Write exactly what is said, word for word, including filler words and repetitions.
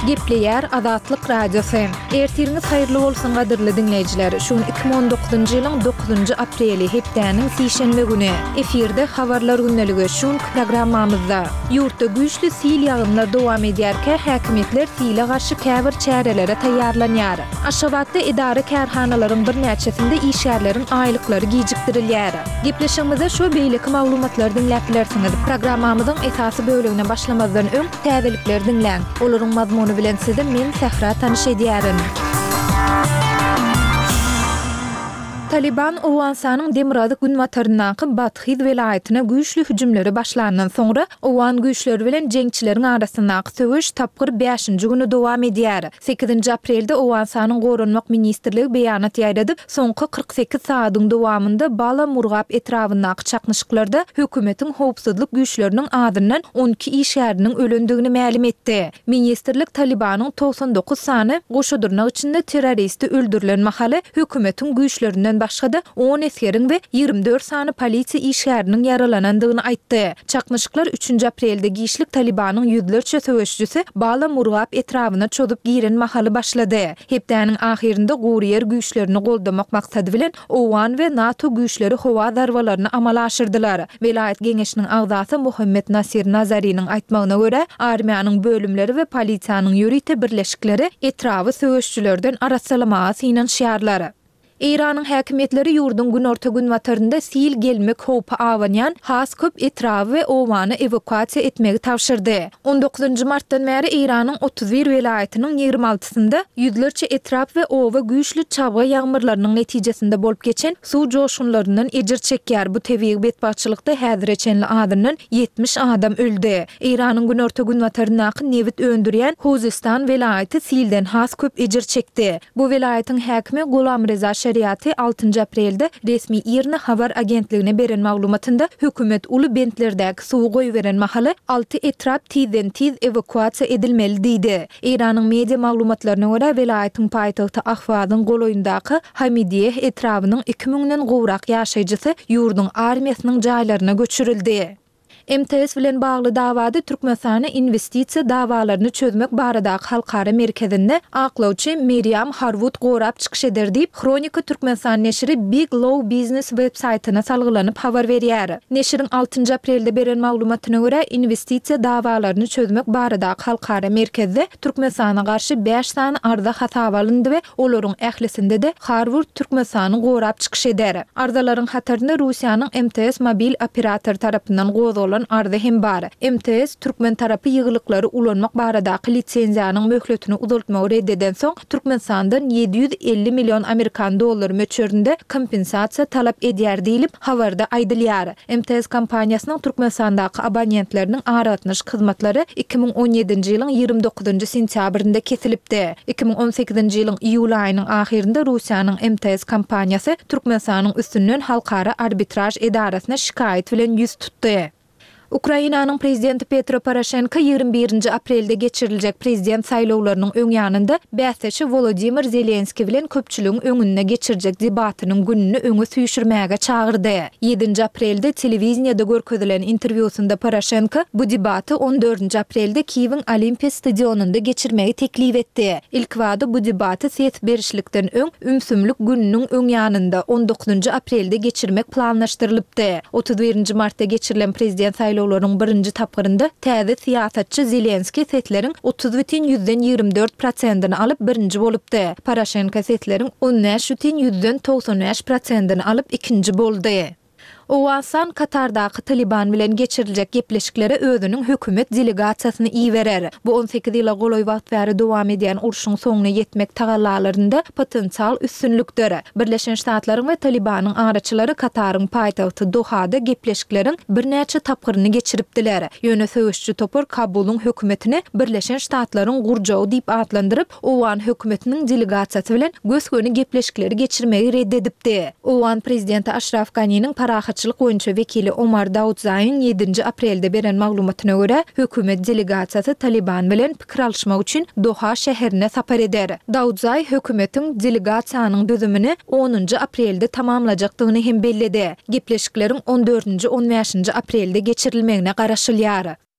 Gepleýär Azatlyk Radiosy. Ertiriňiz haýyrly bolsun gadyrly diňleýjiler. Şu gün iki müň on dokuzynjy ýylyň dokuzynjy apreli, hepdäniň sişenbe güni. Efirde Habarlar gündeligi şu günki programmamyzda. Ýurtda güýçli sil ýagynlar dowam edýärkä, häkimiýetler sile garşy käbir çärelere taýýarlanýar. Aşgabatda edara-kärhanalaryň birnäçesinde işgärleriň aýlyklary gijikdirilýär. Gepleşigimizde şu we beýleki maglumatlary diňläp bilersiňiz. Programmamyzyň esasy bölegine başlamazdan öň, täzelikleri diňläň. Olaryň mazmuny bilen sizi men, Sähra tanyş edýärin. Talyban Owganystanyň demirgazyk-günbataryndaky Badhyz welaýatyna güýçli hüjümleri başlandan soňra, owgan güýçleri bilen jeňçileriň arasyndaky söweş tapgyr bäşinji güni dowam edýär. Sekizinji aprelde Owganystanyň Goranmak ministrligi beýanat ýaýradyp, soňky kyrk sekiz sagadyň dowamynda Bala Murgap etrabyndaky çaknyşyklarda hökümetiň howpsuzlyk güýçleriniň azyndan on iki işgäriniň ölendigini mälim etdi. Ministrlik Talybanyň togsan dokuz sany goşa dyrnak içinde terroristi öldürilen mahaly hökümetiň güýçlerinden başga-da on esgeriň we ýigrimi dört sany polisiýa işgäriniň ýaralanandygyny aýtdy. Çaknyşyklar üçünji aprelde giçlik Talybanyň ýüzlerçe söweşijisi Bala Murgap etrabyna çozup giren mahaly başlady. Hepdäniň ahyrynda gury ýer güýçlerini goldamak maksady bilen owgan we NATO güýçleri howa zarbalaryny amala aşyrdylar. Welaýat geňeşiniň agzasy Muhammet Nasir Nazariniň aýtmagyna görä, armiýanyň bölümleri we polisiýanyň ýörite birleşikleri etraby söweşijilerden arassalamaga synanyşýarlar. Eýranyň häkimiýetleri ýurduň günorta-günbatarynda sil gelmek howpy abanýan has köp etraby we obany ewakuasiýa etmegi tabşyrdy. On dokuzynjy martdan bäri Eýranyň otuz bir welaýatynyň ýigrimi altysynda ýüzlerçe etrap we oba güýçli çabga ýagmyrlarynyň netijesinde bolup geçen suw joşgunlaryndan ejir çekýär. Bu tebigy betbagtçylykda häzire çenli azyndan ýetmiş adam öldi. Eýranyň günorta-günbataryndaky nebit öndürýän Huzistan welaýaty silden has köp ejir çekdi. Bu welaýatyň häkimi Gulamreza Şeriati altynjy aprelde resmi IRNA habar agentligine beren maglumatynda, hökümet uly bentlerdäki suwy goýberen mahaly alty etrap tizden-tiz ewakuasiýa edilmeli diýdi. Eýranyň media maglumatlaryna görä, welaýatyň paýtagty Ahwazyň golaýyndaky Hamidiýeh etrabynyň iki müňden gowrak ýaşaýjysy ýurduň armiýasynyň jaýlaryna göçürildi. M T S bilen bagly dawada Türkmenistana Inwestisiýa dawalaryny çözmek baradaky halkara merkezinde aklawçy Merýam Harwud gorap çykyş eder diýip, Hronika Türkmenistan neşiri Big Law Business web-saýtyna salgylanyp habar berýär. Neşiriň altynjy aprelde beren maglumatyna görä, Inwestisiýa dawalaryny çözmek baradaky halkara merkezde Türkmenistana garşy bäş sany arza hasaba alyndy we olaryň ählisinde-de Harward Türkmenistany gorap çykyş eder. Arzalaryň hatarynda Russiýanyň M T S mobil operatory tarapyndan gozgalan arza hem bar. M T S türkmen tarapy ýygylyklary ulanmak baradaky lisenziýanyň möhletini uzaltmagy red edensoň, Türkmenistandan ýedi ýüz elli million amerikan dollary möçberinde kompensasiýa talap edýär diýlip, habarda aýdylýar. M T S kompaniýasynyň Türkmenistandaky abonentleriniň aragatnaşyk hyzmatlary iki müň on ýedinji ýylyň ýigrimi dokuzynjy sentýabrynda kesilipdi. Iki müň on sekizinji ýylyň iýul aýynyň ahyrynda Russiýanyň M T S kompaniýasy Türkmenistanyň üstünden halkara arbitraž edarasyna şikaýat bilen ýüz tutdy. Ukrainanyň prezidenti Petro Poroşenko ýigrimi birinji aprelde geçiriljek prezident saýlawlarynyň öň ýanynda bäsdeşi Wolodymyr Zelenskiý bilen köpçüligiň öňünde geçirjek debatynyň gününi öňe süýşürmäge çagyrdy. Ýedinji aprelde telewideniýede görkezilen interwýusynda Poroşenko bu debaty on dördünji aprelde Kiýewiň Olimpiýa stadionynda geçirmegi teklip etdi. Ilkibada bu debaty ses berişlikden öň ümsümlik gününiň öň ýanynda, on dokuzynjy aprelde geçirmek planlaşdyrylypdy. Otuz birinji martda geçirilen prezident saýlawlarynyň birinji tapgyrynda täze syýasatçy Zelenskiý sesleriň otuz bütin ýüzden ýigrimi dört prosentini alyp birinji bolupdy. Poroşenko sesleriň on bäş bütin ýüzden togsan bäş prosentini alyp ikinji boldy. Owganystan Katardaky Talyban bilen geçiriljek gepleşiklere özüniň hökümet delegasiýasyny iberer. Bu on sekiz ýyla golaý wagt bäri dowam edýän urşuň soňuna ýetmek tagallalarynda potensial üstünlikdir. Birleşen Ştatlaryň we Talybanyň araçylary Kataryň paýtagty Dohada gepleşikleriň birnäçe tapgyryny geçiripdiler. Ýöne söweşçi topar Kabulyň hökümetini Birleşen Ştatlaryň gurjagy diýip atlandyryp, owgan hökümetiniň delegasiýasy bilen gös-göni gepleşikleri geçirmegi red edipdi. Owgan prezidenti Aşraf Ganiniň parahatçylyk boýunça wekili Omar Daudzaýyň ýedinji aprelde beren maglumatyna görä, hökümet delegasiýasy Talyban bilen pikir alyşmak üçin Doha şäherine sapar eder. Daudzaý hökümetiň delegasiýanyň düzümini onunjy aprelde tamamlajakdygyny hem belledi. Gepleşikleriň on dördünji-on bäşinji aprelde geçirilmegine garaşylýar.